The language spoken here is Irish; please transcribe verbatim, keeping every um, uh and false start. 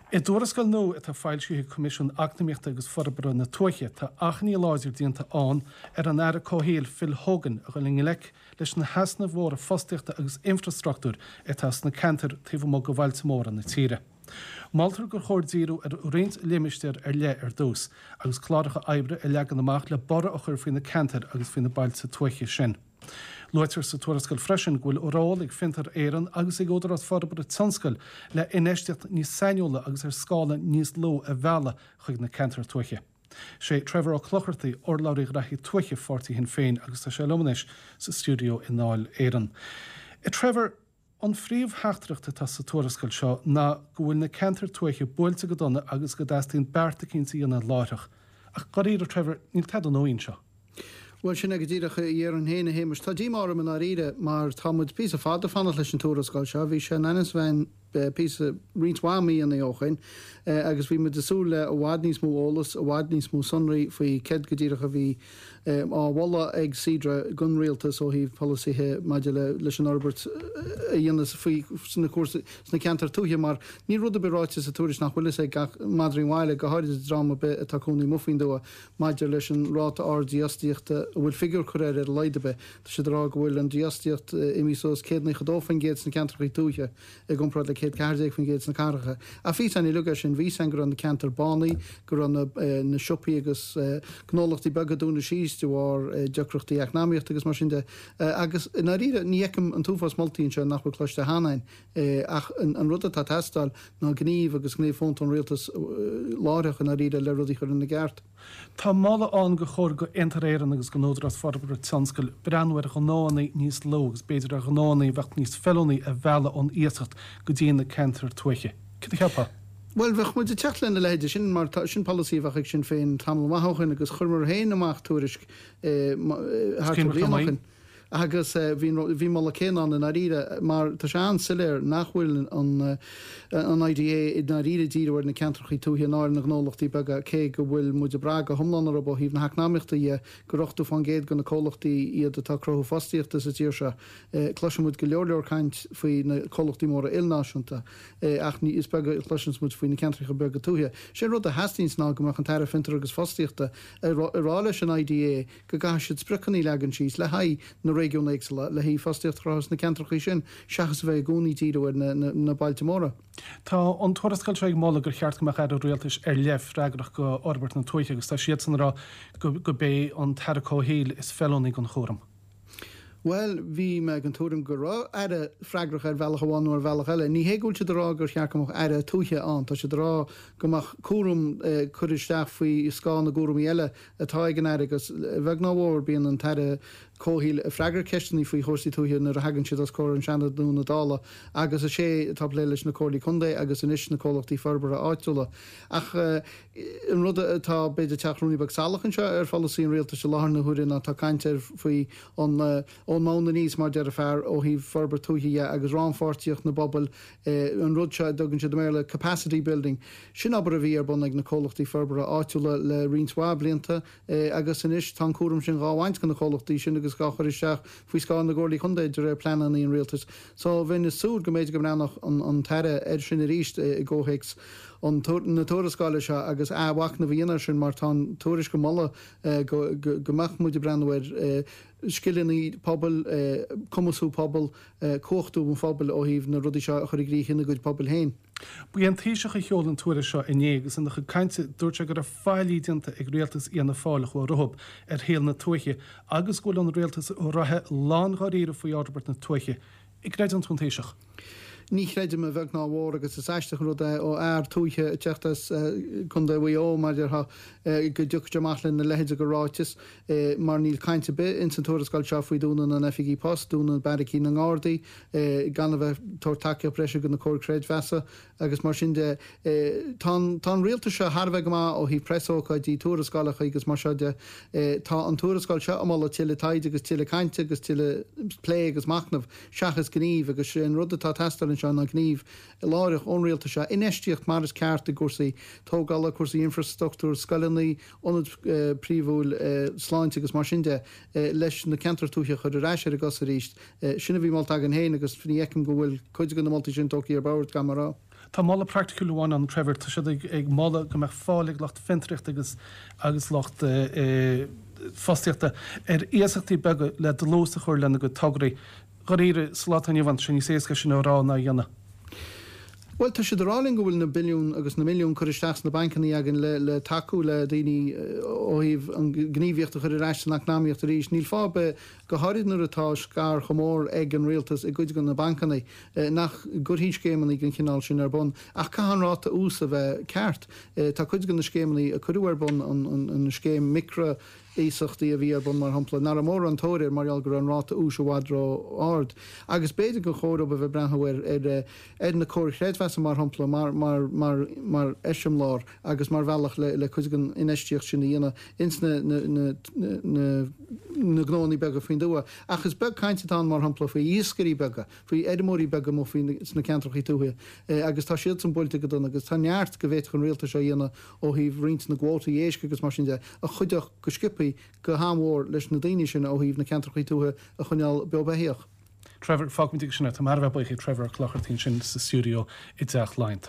I dtuarascáil nua atá foilsithe ag Coimisiún Eacnamaíochta agus Forbartha na Tuaithe tá achainí láidir déanta ann ar an Aire Comhshaoil Phil Hogan a dhul i ngleic leis na heasnaimh mhóra fostaíochta agus infrastruchtúir atá sna ceantair taobh amuigh de bhailte móra na tíre. Moltar gur chóir díriú ar roinnt limistéar ar leith ar dtús, agus cláracha oibre a leagan amach le borradh a chur faoi na ceantair agus faoi na bailte tuaithe sin. Luaitear sa tuarascáil freisin go bhfuil ról ag Fiontar Éireann agus ag Údarás Forbartha Tionscail le infheistíocht níos sainiúla agus ar scála níos lú a mhealladh chuig na ceantair tuaithe. Sé Trevor Ó Clochartaigh urlabhraí Ghraithí Tuaithe Pháirtí Shinn Féin agus tá sé liom anois sa stiúideo i nDáil Éireann. Trevor, an phríomhtheachtaireacht atá sa tuarascáil seo ná go bhfuil na ceantair tuaithe buailte go dona agus go dteastaíonn beart eicínt a dhéanamh láithreach. Ach dáiríre Trevor, níl tada nua anseo. Bhuel sin é go díreach a déarfainn féin a Shéamais. Tá díomá orm i ndáiríre mar tá muid píosa fada ag fanacht leis an tuarascáil seo. Bhí sé in ainm is a bheith píosa roinnt mhaith míonna ó shin agus bhí muid ag súil le i bhfad níos mó eolas, i bhfad níos mó sonraí faoi céard go díreach a bhí á mholadh ag Cedra don rialtas ó thaobh polasaithe maidir le leis an fhorbairt a dhéanamh faoi sna cúrsaí sna ceantair tuaithe mar níl rud ar bith ráite sa tuairisc nach bhfuil fhios ag gach madraí an bhaile, go háirid dream ar bith atá ag cónaí amuigh faoin dtuath. Maidir leis an ráta ard dífhostaíochta, a bhfuil figiúr curtha air ar a laghad ar bith, tá siad ag rá go bhfuil an dífhostaíocht imithe suas céad naocha dó faoin gcéad sna ceantracha tuaithe i gcomparáid le céad ceathair déag faoin gcéad sna cathracha. Ach bhí fhios againn uilig é sin, bhí fhios againn go raibh na ceantair bánaithe, go raibh na na siopaí agus gnólachtaí beaga ag dúnadh síos de bharr deacrachtaí eacnamaíochta agus mar sin de. Agus i ndáiríre, ní fheicim an t-uafás moltaí anseo nach bhfuil cloiste cheana againn. Ach an rud atá ag teastáil ná gníomh agus gníomh fónta ón rialtas láithreach i ndáiríre le rudaí a chur ina gceart. Tá moladh ann gur chóir do Fhiontar Éireann agus don Údarás Forbartha Tionscail breathnú ar ghnóanna níos lú agus b'fhéidir ar ghnóanna a bheadh níos feiliúnaí a mhealladh ón iasacht go dtí na ceantair tuaithe. Céard a cheapfá? Bhuel, bheadh muid ag teacht lena leithéide sin mar sin polasaí a bheadh ag Sinn Féin tamall maith ó shin agus chuireamar féin amach tuairisc thart ar bhliain ó shin. Agus bhí an moladh céanna ann i ndáiríre, mar tá sé an-soiléir nach bhfuil an an IDA i ndáiríre ag díriú ar na ceantrachaí tuaithe ná ar na gnólachtaí beaga, cé go bhfuil muid ag brath go hiomlán orthu ó thaobh na heacnamaíochta dhe, gur ochtó fán gcéad de na comhlachtaí iad atá ag cruthú fostaíochta sa tír seo. Cloiseann muid go leor leor caint faoi na comhlachtaí móra ilnáisiúnta, ach ní is beag a chloiseanns muid faoi na ceantracha beaga tuaithe. Sé an rud a theastaíonns ná go mbeadh an tAire Fiontar agus Fostaíochta ag rá leis an IDA go gcaithfidh siad spriocanna a leagan síos le haghaidh na réigiún éagsúla, le haghaidh fostaíocht a chruthú sna ceantrachaí sin, seachas a bheith i gcónaí ag díriú ar na bailte móra. Tá an tuarascáil seo ag moladh gur cheart go mbeadh Aire Rialtais ar leith freagrach do fhorbairt na tuaithe agus tá siadsan ag rá go b'é an tAire Comhshaoil is feiliúnaí don chúram. Bhuel, bhí mé den tuairim go raibh Aire freagrach ar bhealach amháin nó ar bhealach eile. Ní hé go bhfuil siad ag rá gur cheart go mbeadh Aire Tuaithe ann, tá siad ag rá go mbeadh cúram curtha isteach faoi scáth na gcúraimí eile atá ag an Aire agus, a bheag nó a mhór, bíonn an tAire Comhshaoil ag freagairt ceisteanna faoi chúrsaí tuaithe nuair a thagann siad os comhair an Seanad nó na Dála agus is é atá ag plé leis na Comhairlí Contae agus anois na comhlachtaí forbartha áitiúla. Ach an rud atá, b'fhéidir, ag teacht ruainne beag salach anseo ar pholasaí an rialtais i láthair na huaire ná tá caint ar faoi an ón mbonn aníos, mar deir an fear, ó thaobh forbairt tuaithe dhe agus rannpháirtíocht na bpobal, an rud seo a dtugann siad i mBéarla capacity building. Sin obair a bhí ar bun ag na comhlachtaí forbartha áitiúla le roinnt mhaith blianta agus anois tá an cúram sin dhá bhaint de na comhlachtaí sin agus dhá chur isteach faoi scáth na gcomhairlí contae de réir pleananna an rialtais. So bheinn ag súil go mb'fhéidir go mbreathnódh an tAire air sin arís i gcomhthéacs na tuarascála seo agus athmhachnamh a dhéanamh air sin mar tá an tuairisc ag moladh go go mbeadh muid ag breathnú ar scileanna pobail, cumasú pobal, cumhachtú an phobail ó thaobh na rudaí seo a chur i gcrích ina gcuid pobail féin. Ba é an Taoiseach a sheol an tuairisc seo inné agus ina chuid cainte dúirt sé go raibh faillí déanta ag rialtas Fhianna Fáil a chuaigh rompu ar shaol na tuaithe agus go bhfuil an rialtas reatha lán-dháiríre faoi fhorbairt na tuaithe. An gcreideann tú an Taoiseach? Ní chreidim a bheag ná a mhór agus is aisteach an rud é ó fhear tuaithe ag teacht as Contae Mhaigh Eo, mar a déarfá, go dtiocfadh sé amach lena leithéid de ráiteas mar níl caint ar bith ins an tuarascáil seo faoi dúnadh na n-oifigí post, dúnadh beairicí na nGardaí, gan a bheith ag tabhairt tacaíocht breise do na comhair creidmheasa agus mar sin de. Tá an tá an rialtas seo thar a bheith go maith ó thaobh preasócáidí, tuarascálacha agus mar seo de. Tá an tuarascáil seo ag moladh tuilleadh taighde agus tuilleadh cainte agus tuilleadh plé agus machnaimh. seachas gníomh, agus sé an rud atá ag teastáil anseo ná gníomh láithreach ón rialtas seo, infheistíocht mar is ceart i gcúrsaí tógála, cúrsaí infreastruchtúir, scoileanna, ionad príomhúil sláinte agus mar sin de, leis na ceantair tuaithe a chur ar ais ar a gcosa arís. Sin a bhí molta againn féin agus ní fheicim go bhfuil cuid de na moltaí sin tógtha ar bord, gan mar a. Tá moladh praiticiúil amháin ann Trevor tá siad ag, ag moladh go mbeadh fáil ag lucht fiontraíochta agus agus lucht uh, fostaíochta ar iasachtaí beaga le dlús a chur lena gcuid tograí. Dáiríre sa lá atá inniu ann sin níos éasca sin a rá ná a dhéanamh. Well tá siad ag rá linn go bhfuil na billiún agus na milliún curtha isteach sna bancanna againn le, le tacú le daoine ó thaobh an gníomhaíocht a chur ar ais san eacnamaíocht arís. Níl fáth go háirid nuair atá scair chomh mór ag an rialtas i gcuid de na bancanna nach gcuirfí scéimeanna den chineál sin ar bun, ach caithfidh an ráta úis a bheith ceart. Tá cuid de na scéimeanna a cuireadh ar bun an, an, an scéim micro iasachtaí a bhí ar bun mar shampla nach raibh mórán tóir air mar gheall go raibh an ráta úis i bhfad ró-ard. Agus b'fhéidir gur chóir a bheith breathnú ar ar ar na comhair chreidmheasa mar shampla mar mar mar mar eiseamláir agus mar bhealach le le cuid den infheistíocht sin a dhéanamh ins na na na na na gnónna beaga faoin tuath. Ach is beag caint atá mar shampla faoi iascairí beaga, faoi fheirmeoirí beaga mo faoi sna ceantracha tuaithe agus tá siad san buailte go dona agus tá neart go bhféadfadh an rialtas seo a dhéanamh ó thaobh roinnt na gcuótaí éisc agus mar sin de a chuideodh go sciobtha go han-mhór leis na daoine sin ó thaobh na ceantracha tuaithe a choinneáil beo beathach. Trevor fágfaimid sin tá mar bheith buíoch Trevor Clochartaín sin sa studio i dTeach Laighean.